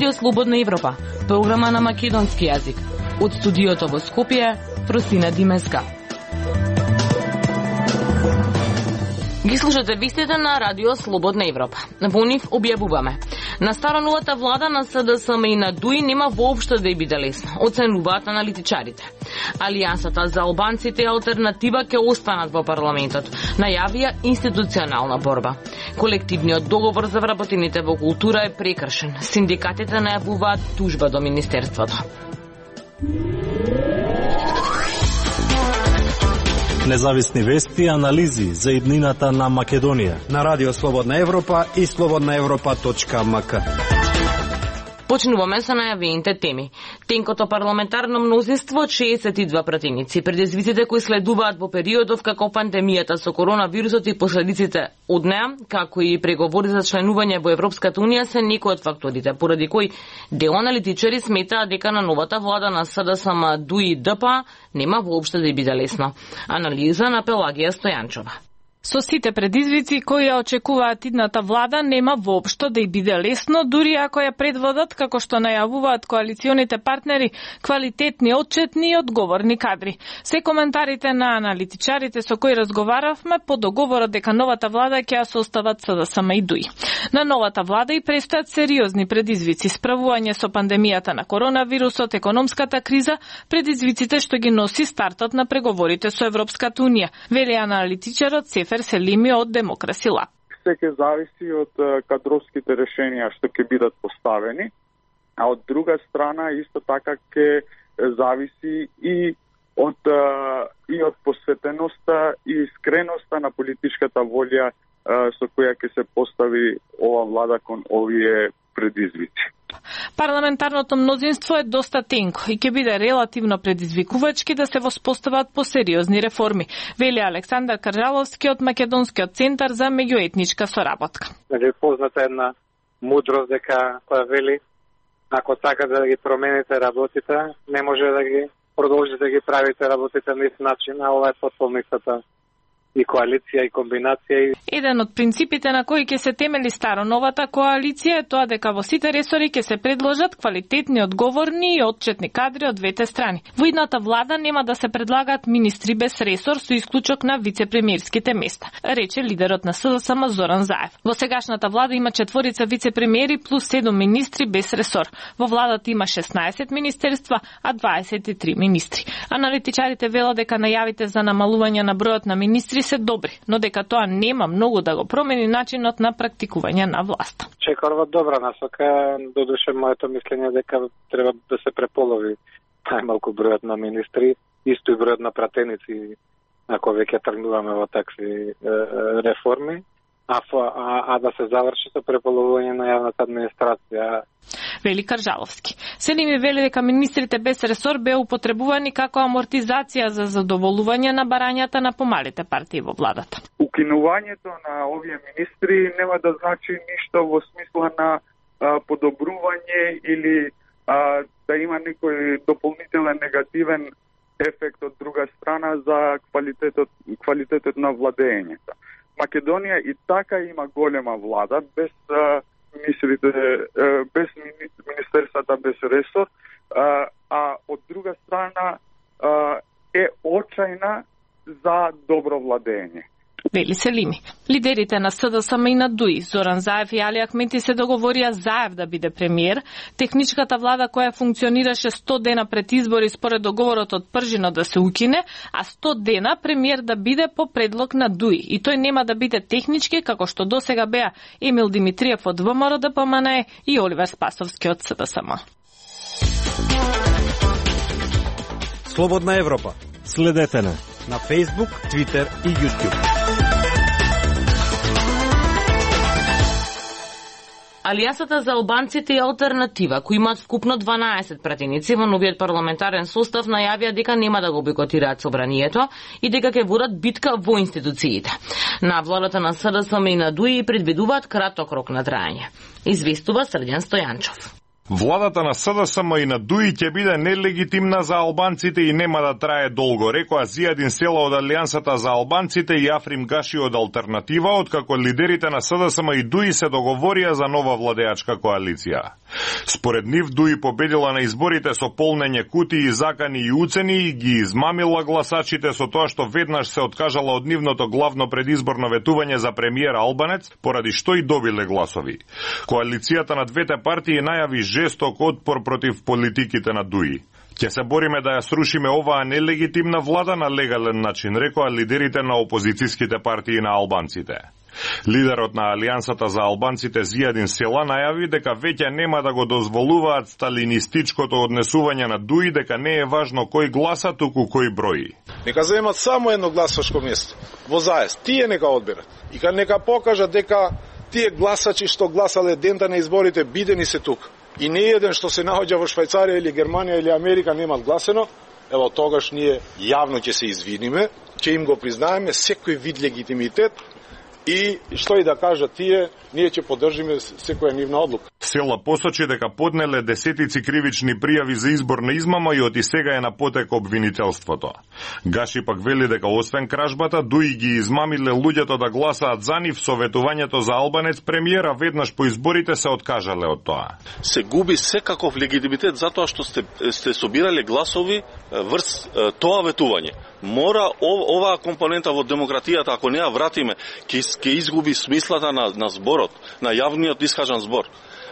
Радио Слободна Европа, програма на македонски јазик. Од студиото во Скопје, Фросина Димеска. Ги слушате вистите на Радио Слободна Европа. Во нив објавуваме. На староновата влада на СДСМ и на ДУИ нема воопшто да ја биде лесно, оценуваат аналитичарите. Алијансата за албанците и алтернатива ќе останат во парламентот. Најавија институционална борба. Колективниот договор за вработените во култура е прекршен. Синдикатите најавуваат тужба до Министерството. Независни вести и анализи за иднината на Македонија на Радио Слободна Европа и slobodnaevropa.mk. Почнуваме со најавените теми. Тенкото парламентарно мнозинство од 62 пратеници, предизвиците кои следуваат во периодов како пандемијата со коронавирусот и последиците од неа, како и преговори за членување во Европската унија се некои од факторите, поради кои дел аналитичари сметаат дека на новата влада на СДСМ, ДУИ и ДП нема воопшто да биде лесно. Анализа на Пелагија Стојанчова. Со сите предизвици кои ја очекуваат идната влада, нема воопшто да ја биде лесно, дури ако ја предводат, како што најавуваат коалиционите партнери, квалитетни, отчетни и одговорни кадри. Се коментарите на аналитичарите со кои разговаравме по договорот дека новата влада ќе ја состават СДСМ и ДУИ. На новата влада и престојат сериозни предизвици, справување со пандемијата на коронавирусот, економската криза, предизвиците што ги носи стартот на преговорите со Европската унија, вели аналитичарот Сефер Селими од Демокраси Лаб. Се ќе зависи од кадровските решенија што ќе бидат поставени, а од друга страна исто така ќе зависи и од посветеноста и искреноста на политичката волја со која ќе се постави ова влада кон овие предизвици. Парламентарното мнозинство е доста тенко и ќе биде релативно предизвикувачки да се воспостават по сериозни реформи, вели Александар Каржаловски од Македонскиот центар за меѓуетничка соработка. Позната една мудрост дека која вели ако сакате да ги промените работите, не може да ги продолжите да ги правите работите на ист начин, а ова е потполницата и коалиција и комбинација. Еден од принципите на кои ќе се темели староновата коалиција е тоа дека во сите ресори ќе се предложат квалитетни, одговорни и отчетни кадри од двете страни. Во идната влада нема да се предлагаат министри без ресор со исклучок на вице-премиерските места, рече лидерот на СДСМ Зоран Заев. Во сегашната влада има 4 вице-премиери плюс 7 министри без ресор. Во владата има 16 министерства, а 23 министри. Аналитичарите велат дека најавите за намалување на бројот на министри се добри, но дека тоа нема многу да го промени начинот на практикување на власта. Чекорва добра насока, додуше моето мислење дека треба да се преполови најмалку бројот на министри, исто и бројот на пратеници, ако веќе тргнуваме во такви реформи, а да се заврши со преполовување на јавната администрација. Вели Каржаловски. Селими вели дека министрите без ресор беа употребувани како амортизација за задоволување на барањата на помалите партии во владата. Укинувањето на овие министри нема да значи ништо во смисла на подобрување или да има некој дополнителен негативен ефект од друга страна за квалитетот на владењето. Македонија и така има голема влада без без министерствата без ресор, а од друга страна е очајна за добро владење. Вели Селими. Лидерите на СДСМ и на ДУИ, Зоран Заев и Али Ахмети, се договорија Заев да биде премиер. Техничката влада која функционираше 100 дена пред избори според договорот од Пржино да се укине, а 100 дена премиер да биде по предлог на ДУИ. И тој нема да биде технички, како што досега беа Емил Димитриев од ВМРО ДПМНЕ и Оливер Спасовски од СДСМ. Слободна Европа. Следете на Facebook, Twitter и YouTube. Алијансата за албанците и алтернатива, кои имаат вкупно 12 пратеници во новиот парламентарен состав, најавија дека нема да го бойкотираат собранието и дека ќе водат битка во институциите. На владата на СДСМ и на ДУИ предвидуваат краток рок на трајање. Известува Срдјан Стојанчов. Владата на СДСМ и на ДУИ ќе биде нелегитимна за албанците и нема да трае долго, рекоа Зијадин Села од Алијансата за албанците и Африм Гаши од Алтернатива, откако лидерите на СДСМ и ДУИ се договорија за нова владеачка коалиција. Според нив ДУИ победила на изборите со полнење кутии, закани и уцени и ги измамила гласачите со тоа што веднаш се откажала од нивното главно предизборно ветување за премиер Албанец, поради што и добиле гласови. Коалицијата на двете партии најави жесток отпор против политиките на ДУИ. Ќе се бориме да ја срушиме оваа нелегитимна влада на легален начин, рекоа лидерите на опозицијските партии на албанците. Лидерот на Алијансата за албанците Зијадин Села најави дека веќе нема да го дозволуваат сталинистичкото однесување на ДУИ, дека не е важно кој гласа, туку кој брои. Нека земат само едно гласачко место во заес. Тие нека одберат. И нека покажат дека тие гласачи што гласале дента на изборите бидени се тука. И не еден што се наоѓа во Швајцарија или Германија или Америка немат гласено, ево тогаш ние јавно ќе се извиниме, ќе им го признаеме секој вид легитимитет и што и да кажат тие, ние ќе поддржиме секоја нивна одлука. Села посочи дека поднеле десетици кривични пријави за изборна измама и од и сега е на потек обвинителството. Гаши пак вели дека освен кражбата, ДУИ ги измамиле луѓето да гласаат за нив со ветувањето за албанец премиера, веднаш по изборите се откажале од тоа. Се губи секаков легитимитет затоа што сте собирале гласови врз тоа ветување. Мора оваа компонента во демократијата, ако не ја вратиме, ќе изгуби смислата на зборот, на јавниот искажан збор.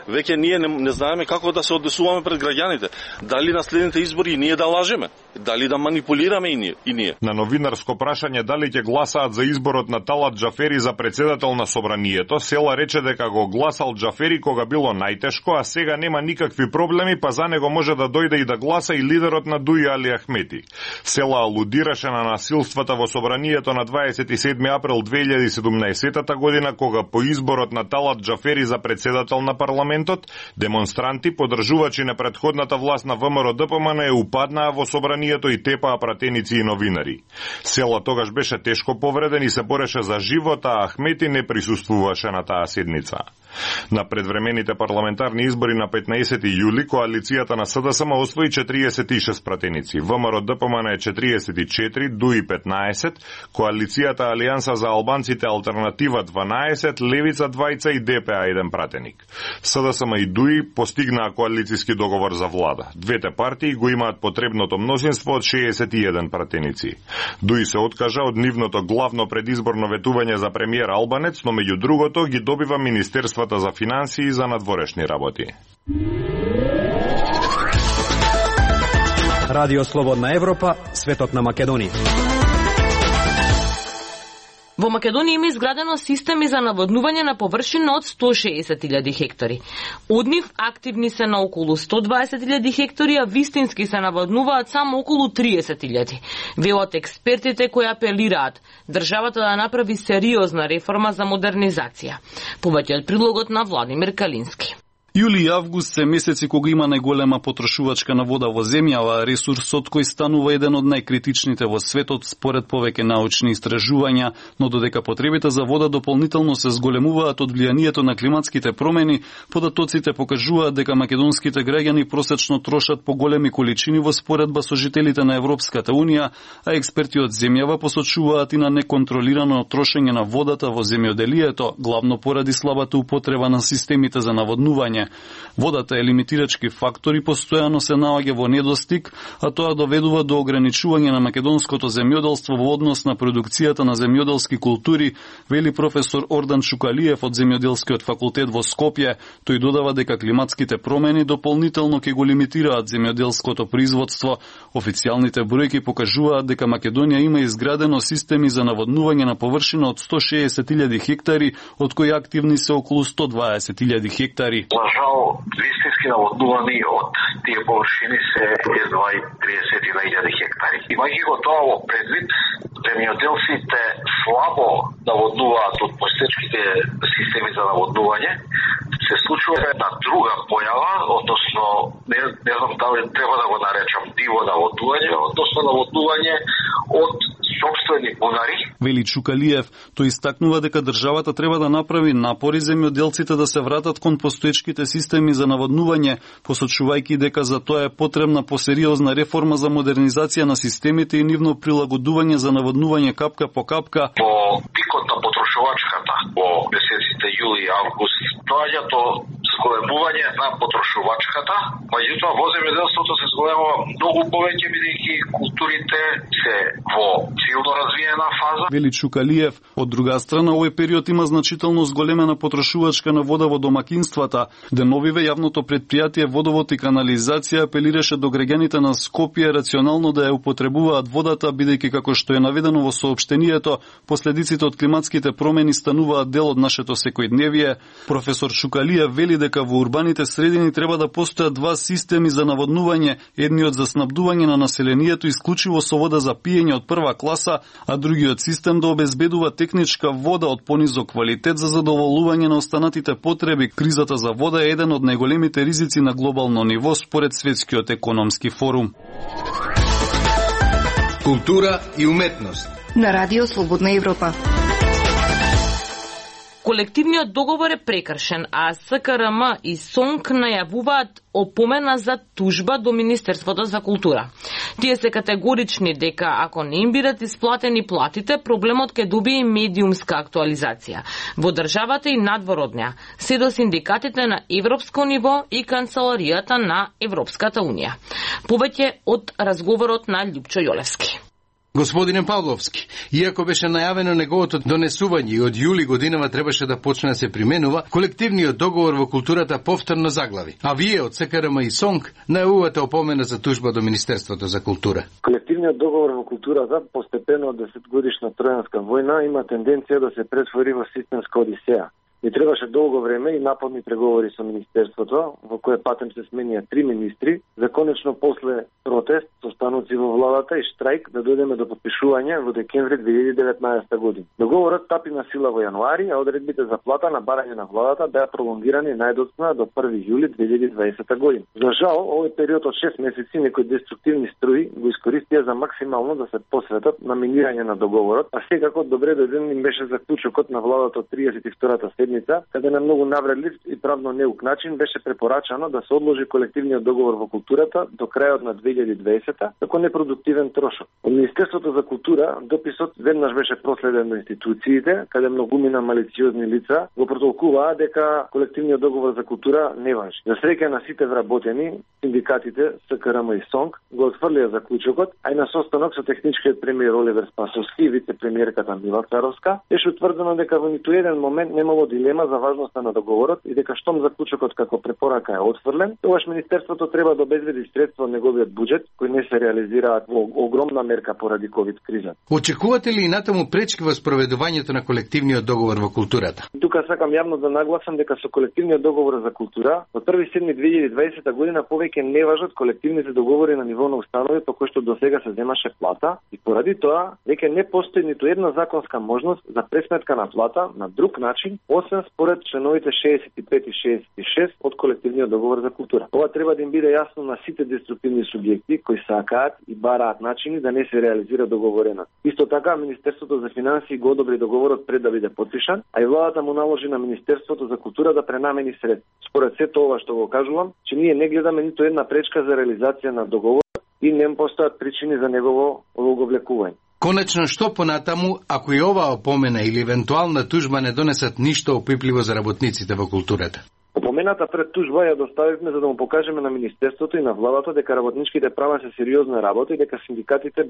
Веќе ние не знаеме како да се однесуваме пред граѓаните. Дали на следните избори ние да лажеме? Дали да манипулираме и ние? На новинарско прашање дали ќе гласаат за изборот на Талат Џафери за председател на собранието, Села рече дека го гласал Џафери кога било најтешко, а сега нема никакви проблеми, па за него може да дојде и да гласа и лидерот на ДУИ Али Ахмети. Села алудираше на насилствата во собранието на 27 април 2017 година, кога по изборот на Талат Џафери за председател на парламентот, демонстранти, поддржувачи на претходната власт на ВМРО ДПМН упаднаа во собранието и тепаа пратеници и новинари. Села тогаш беше тешко повреден и се бореше за живот, а Ахмети не присуствуваше на таа седница. На предвремените парламентарни избори на 15 јули, коалицијата на СДСМ освои 46 пратеници, ВМРО ДПМН е 44, ДУИ 15, коалицијата Алијанса за албанците Алтернатива 12, Левица 2 и ДПА 1 пратеник. СДСМ и ДУИ постигнаа коалицијски договор за влада. Двете партии го имаат потребното мнозинство од 61 пратеници. ДУИ се откажа од нивното главно предизборно ветување за премиер Албанец, но меѓу другото ги добива Министерството за финансии и за надворешни работи. Радио Слободна Европа, светот на Македонија. Во Македонија има изградено системи за наводнување на површина од 160.000 хектари. Од нив активни се на околу 120.000 хектари, а вистински се наводнуваат само околу 30.000. Велат експертите кои апелираат државата да направи сериозна реформа за модернизација. Повеќе од прилогот на Владимир Калински. Јули и август се месеци кога има најголема потрошувачка на вода во земјава, ресурсот кој станува еден од најкритичните во светот според повеќе научни истражувања, но додека потребите за вода дополнително се зголемуваат од влијанието на климатските промени, податоците покажуваат дека македонските граѓани просечно трошат поголеми количини во споредба со жителите на Европската Унија, а експерти од земјава посочуваат и на неконтролирано трошење на водата во земјоделието, главно поради слабата употреба на системите за наводнување. Водата е лимитирачки фактор и постојано се наоѓа во недостиг, а тоа доведува до ограничување на македонското земјоделство во однос на продукцијата на земјоделски култури, вели професор Ордан Чукалиев од Земјоделскиот факултет во Скопје. Тој додава дека климатските промени дополнително ќе го лимитираат земјоделското производство. Официјалните бројки покажуваат дека Македонија има изградено системи за наводнување на површина од 160.000 хектари, од кои активни се околу 120.000 хектари. Жал, вистински наводнувани од тие површини се едва и 30.000 хектари. Имајќи го тоа во предвид, земјоделците слабо наводнуваат од постоечките системи за наводнување, се случува една друга појава, односно не знам дали треба да го наречам диво наводнување, односно наводнување од сопствени бунари. Вели Чукалиев, тој истакнува дека државата треба да направи напори земјоделците да се вратат кон постоечките системи за наводнување, посочувајќи дека за тоа е потребна посериозна реформа за модернизација на системите и нивно прилагодување за наводнување капка по капка. По пикот на потрошувачката во месеците јули и август доаѓа до зголемување на потрошувачката, меѓутоа во земјоделството се зголемува многу повеќе бидејќи културите се во силно развиена фаза. Вели Чукалиев, од друга страна овој период има значително зголемена потрошувачка на вода во домакинствата. Деновиве јавното претпријатие Водовод и канализација апелираше до граѓаните на Скопје рационално да ја употребуваат водата, бидејќи како што е наведено во соопштението, последиците од климатските промени стануваат дел од нашето секојдневие. Професор Чукалиев вели дека во урбаните средини треба да постојат два системи за наводнување, едниот за снабдување на населението исклучиво со вода за пиење од прва класа, а другиот систем да обезбедува техничка вода од понизок квалитет за задоволување на останатите потреби. Кризата за вода е еден од најголемите ризици на глобално ниво според Светскиот економски форум. Култура и уметност на Радио Слободна Европа. Колективниот договор е прекршен, а СКРМ и СОНК најавуваат опомена за тужба до Министерството за култура. Тие се категорични дека ако не им бидат исплатени платите, проблемот ќе добие медиумска актуализација во државата и надвор од неа, се до синдикатите на европско ниво и канцеларијата на Европската унија. Повеќе од разговорот на Љупчо Јолевски. Господине Павловски, иако беше најавено неговото донесување и од јули годинава требаше да почне да се применува, колективниот договор во културата повторно заглави. А вие од СКРМ и СОНК најавувате опомена за тужба до Министерството за култура. Колективниот договор во културата постепено од 10-годишна тројанска војна има тенденција да се претвори во системска одисеја. И требаше долго време и напорни преговори со Министерството, во кое патем се сменија 3 министри, за конечно после протест, состаноци во владата и штрајк да дојдеме до подпишување во декември 2019 година. Договорот стапи на сила во јануари, а одредбите за плата на барање на владата беа пролонгирани најдоцна до 1 јули 2020 година. За жал, овој период од 6 месеци некои деструктивни струи го искористија за максимално да се посветат на минирање на договорот, а секако добре дојден им беше заклучокот на владата од 32-та седница, каде на многу навредлив и правно неук начин беше препорачано да се одложи колективниот договор во културата до крајот на 2020-та како непродуктивен трошок. Од Министерството за култура дописот веднаш беше проследен до институциите, каде многумина малициозни лица го протолкуваа дека колективниот договор за култура не важи. За среќа на сите вработени, синдикатите СКРМ и СОНК го отфрлија заклучокот, а и на состанок со техничкиот премиер Оливер Спасовски и вице-премиерката Мила Царовска беше утврдено дека во ниту еден момент немало дилема за важноста на договорот и дека штом заклучокот како препорака е отфрлен, тогаш Министерството треба да обезбеди средства од неговиот буџет кои не се реализираат во огромна мерка поради ковид криза. Очекувате ли и натаму пречки во спроведувањето на колективниот договор во културата? Тука сакам јавно да нагласам дека со колективниот договор за култура од 1.7.2020 година повеќе не важат колективните договори на ниво на установи по кои што досега се земаше плата и поради тоа веќе не постои ниту една законска можност за пресметка на плата на друг начин, освен според членовите 65 и 66 од колективниот договор за култура. Ова треба да им биде јасно на сите деструктивни субјекти кои сакаат и бараат начини да не се реализира договорено. Исто така Министерството за финансии го одобри договорот пред да биде потпишан, а и владата му наложи на Министерството за култура да пренамени средства. Според сето ова што го кажувам, че ние не гледаме ниту една пречка за реализација на договорот и не постојат причини за негово оговлекување. Конечно, што понатаму, ако и оваа опомена или евентуална тужба не донесат ништо опипливо за работниците во културата? Опомената пред тужба ја доставивме за да му покажеме на Министерството и на владата дека работничките права се сериозна работа и дека синдикатите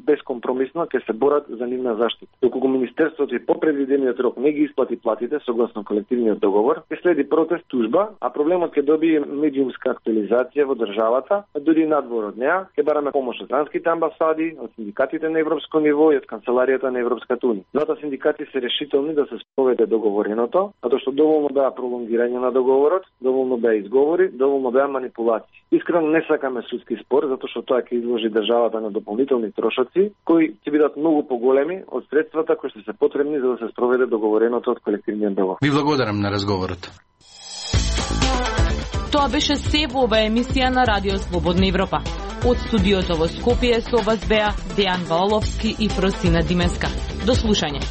безкомпромисно ќе се борат за нивна заштита. Доколку Министерството и по предвидениот рок не ги исплати платите согласно колективниот договор, ќе следи протест тужба, а проблемот ќе добие медиумска актуализација во државата, а дури надвор од неа, ќе бараме помош од странските амбасади, од синдикатите на европско ниво и од канцеларијата на Европската унија. Двата синдикати се решителни да се спроведе договореното, затоа што доволно беа пролонгирање на договорот, доволно беа изговори, доволно беа манипулации. Искрено не сакаме судски спор, затоа што тоа ќе изложи државата на дополнителни трошоци, кои ќе бидат многу поголеми од средствата кои ќе се потребни за да се спроведе договореното од колективниот договор. Ви благодарам на разговорот. Тоа беше се во оваа емисија на Радио Слободна Европа. Од студиото во Скопје со вас беа Дејан Ваоловски и Просина Димеска. До слушање.